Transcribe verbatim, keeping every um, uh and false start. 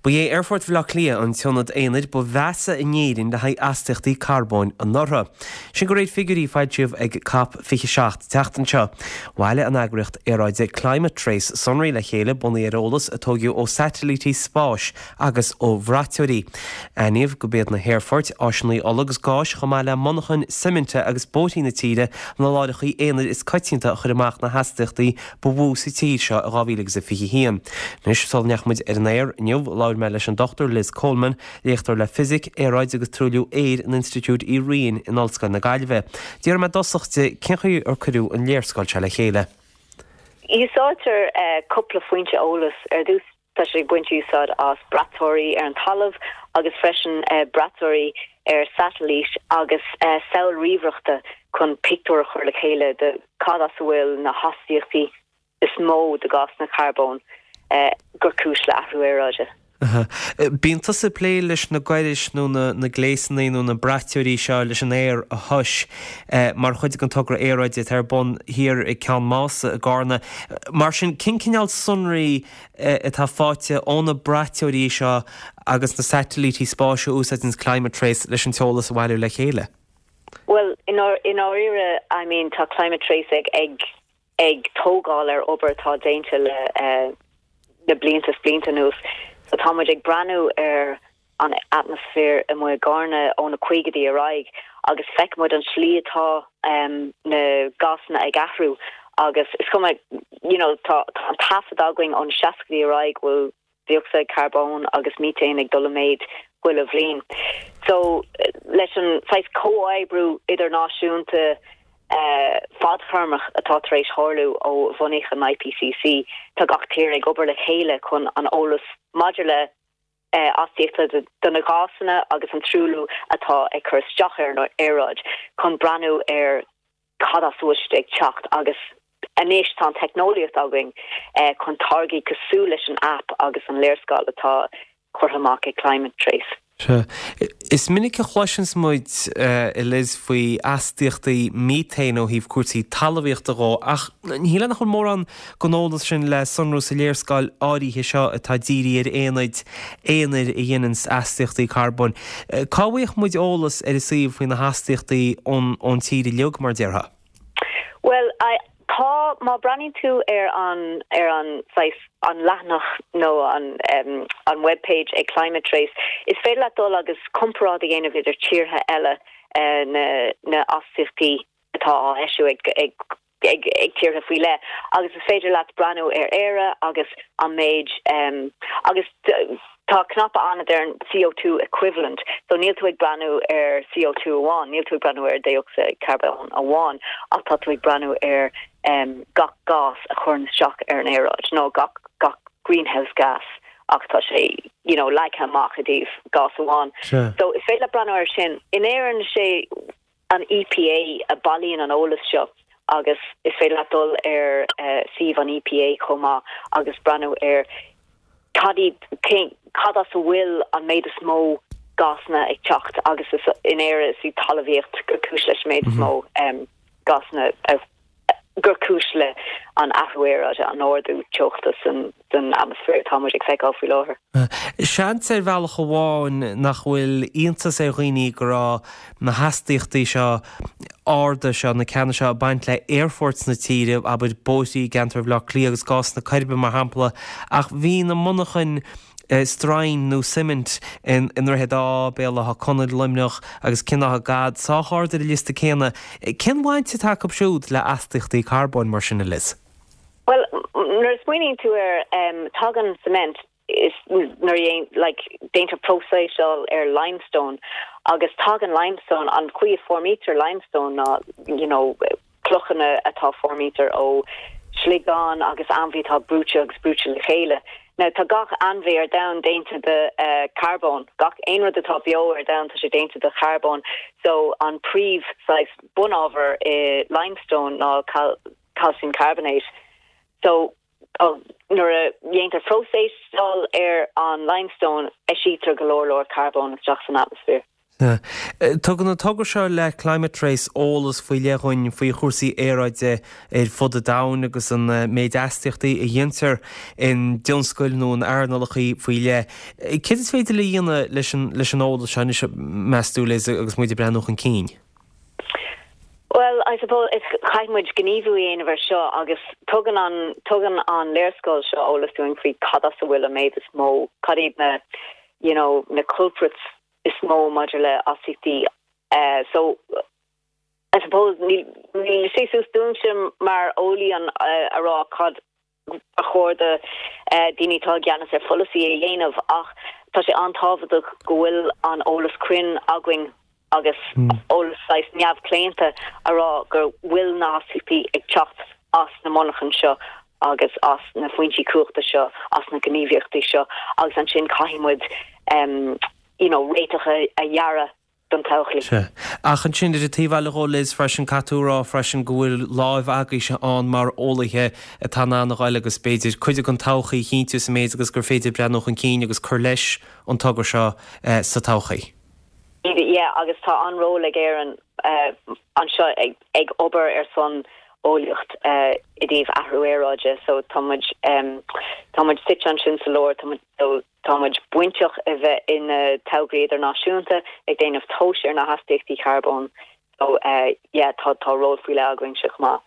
Ba é Aerfort Bhaile Átha Cliath an t-ionad aonair ba mheasa in Éirinn le haghaidh astaíochtaí carbóin anuraidh. Sin de réir figiúirí a foilsíodh ag COP fiche seacht an tseachtain seo. Bhailigh an eagraíocht aeráide Climate Trace sonraí le chéile bunaithe ar eolas a tógadh ó satailítí spáis agus ó bhraiteoirí. Aithníodh gurb iad na haerfoirt, áiseanna ola agus gáis chomh maith le monarchain suiminte agus bóithrí na tíre na láithreacha aonair is coitianta a chuir amach na hastaíochtaí ba mhó sa tír seo i dhá mhíle agus a fiche haon. Anois sula ndeachaigh muid ar an aer inniu, labhair mé leis an Dochtúir Liz Coleman, léachtóir le Fisic, Aeráid agus Truailliú Aeir in Institiúid Uí Riain in Ollscoil na Gaillimhe. D'iarr mé i dtosach di cén chaoi ar cuireadh an léarscáil seo le chéile. Úsáidtear cúpla foinse eolais ar dtús tá sé ag baint úsáid as braiteoirí ar an talamh agus freisin braiteoirí ar satailít agus samhail ríomhaireachta chun pictiúr a chur le chéile de cad as a bhfuil na hastaíochtaí is mó de gásanna carbóin gur cúis le athrú aeráide. Bíonn tusa ag plé leis na gairis nó na gléasanna nó na braiteoirí seo leis an aer a thomhas mar chuid den togra aeráide atá ar bun thiar ag Ceann Mása i gCarna. Mar sin, cén cineál sonraí atá faighte ó na braiteoirí seo agus na satailítí spáis a úsáideann Climate Trace leis an t-eolas a bhailiú le chéile? Well, i ndáiríre, I mean, tá Climate Trace ag ag ag tógáil ar obair atá déanta le uh, na blianta is blianta anuas. So tá muid ag breathnú ar an atmaisféar amuigh i gCarna ó na caogaidí ar aghaidh agus feicimid an slí atá um, na gásanna ag athrú agus is cuma you know, tá tá an taifead againn ón seascaidí ar aghaidh bhfuil dioxide carbón agus methane ag dul i méid chuile bhliain. So leis an saghas comhoibriú idirnáisiúnta uh, fadtéarmach atá tar éis tarlú ó bunaíodh an I P C C, tá gach tír ag obair le chéile chun an eolas maidir le uh, astaíochtaí de, de na gásanna agus an truailliú atá ag cur isteach ar an aeráid chun breathnú ar cad as a bhfuil siad ag teacht agus anois tá an teicneolaíocht againn eh, chun táirgí cosúil leis an app agus an léarscáil atá curtha amach ag Climate Trace. Sea. Is minic a chloiseann muid uh, Liz faoi astaíochtaí methane ó thaobh cúrsaí talmhaíochta de ach ní nach bhfuil mórán den eolas sin le sonrú sa léarscáil áirithe seo atá dírithe ar aonaid aonair a dhéanann astaíochtaí carbóin. Uh, cá bhfaighidh muid eolas ar an suíomh faoi na hastaíochtaí ón ón tír uilig mar déarfá? Well, I, tá má breathnaíonn tú ar an ar an saghas an leathanach nó an um, an webpage ag Climate Trace, is féidir leat dul agus comparáid a dhéanamh idir tíortha eile uh, na na astaíochtaí atá á eisiú ag ag ag ag tíortha faoi leith agus is féidir leat breathnú ar Éire agus an méid um, agus tá cnaipe ann ar an C O two equivalent, so níl tú ag breathnú ar C O two amháin, níl tú ag breathnú ar dioxide carbón amháin, ach tá tú ag breathnú ar um, gach gás a chuireann isteach ar an aeráid, nó gach gach greenhouse gas ach tá sé you know, leagtha amach i dtaobh gás amháin. Sure. So is féidir breathnú ar sin. In Éirinn sé an E P A a bhailíonn an eolas seo agus is féidir leat dul ar uh, suíomh an E P A chomh maith agus breathnú ar cad cad as a bhfuil an méid is mó gásanna ag teacht agus is in Éire is í talmhaíocht gur cúis leis méid is mó um, gásanna uh, gur cúis le an athrú aeráide an ardú teochta san san atmaisféar atá muid ag feiceáil faoi láthair. Seans ar bhealach amháin nach bhfuil iontas ar dhaoine go raibh na hastaíochtaí seo arda seo na ceanna seo baint le aerfoirt na tíre abair bóithrí i gceantar Bhaile Átha Cliath agus gás na Coiribe mar shampla ach bhí na monarchain stroighin nó suimint in in Droichead Átha, Béal Átha Conaill, Luimneach agus Cionn Átha Gad sách ard ar an liosta céanna. Cén bhaint atá acu siúd le astaíochtaí carbóin mar sin, Liz? Well, nuair a smaoiníonn tú ar um, tagann cement is nuair like déantar próiseáil ar limestone agus tagann limestone an chaoi a foirmítear limestone ná you know clochanna atá foirmítear ó sliogán agus ainmhí atá brúite agus brúite le chéile. Now tá gach ainmhí ar domhan déanta de uh, carbón, gach aon rud atá beo ar domhan tá sé déanta de charbón, so an príomh saghas bunábhar i limestone ná cal calcium carbonate. So oh, nuair a dhéantar próiseáil ar an limestone eisítear go leor leor carbón isteach san atmaisféar. Tugann an togra seo le Climate Trace eolas faoi leith dhúinn faoi chúrsaí aeráide ar fud an domhain agus an méid astaíochtaí a dhéantar in dtionscail nó in earnálacha faoi leith. Céard is féidir le dhéanamh leis an leis an eolas seo anois meas tú Liz agus muid ag breathnú chun cinn? Well, I suppose is caithfidh muid gníomhú a dhéanamh ar seo agus tugann an tugann an léarscáil seo eolas dúinn faoi cad as a bhfuil an méid is mó, cad iad na you know, na culprits is mó maidir le astaíochtaí. Uh, so I suppose níl níl sé suas dúinse mar eolaí an uh, a rá cad a chóir do uh, daoine atá i gceannas ar pholasaí a dhéanamh ach tá sé an-tábhachtach go bhfuil an eolas cruinn againn agus eolas saghas neamhchlaonta a rá go bhfuil na hastaíochtaí ag teacht as na monarchana seo agus as na foinsí cumhachta seo as na gníomhaíochtaí seo agus ansin caithfidh muid um, you know, réiteach a, a dhearadh don todhchaí. Sea. Ach ansin ar an taobh eile dhó Liz freisin caithfidh tú a rá freisin go bhfuil láimh agaibhse ann mar eolaithe atá in ann a ghabháil agus b'fhéidir cuid den todhchaí a chinntiú sa méid agus gur féidir breathnú chun cinn agus cur leis an togra seo eh, sa todhchaí. Yeah, agus tá an ról ag Éirinn uh, anseo ag, ag obair ar son eolaíocht uh, i dtaobh athrú aeráide, so tá muid um, tá muid suite ansin sa lár tá muid so, tá muid bainteach a bheith in uh, tograí idirnáisiúnta ag déanamh tomhais ar na hastaíochtaí carbóin. So uh, yeah, tá tá ról faoi leith againn chomh maith.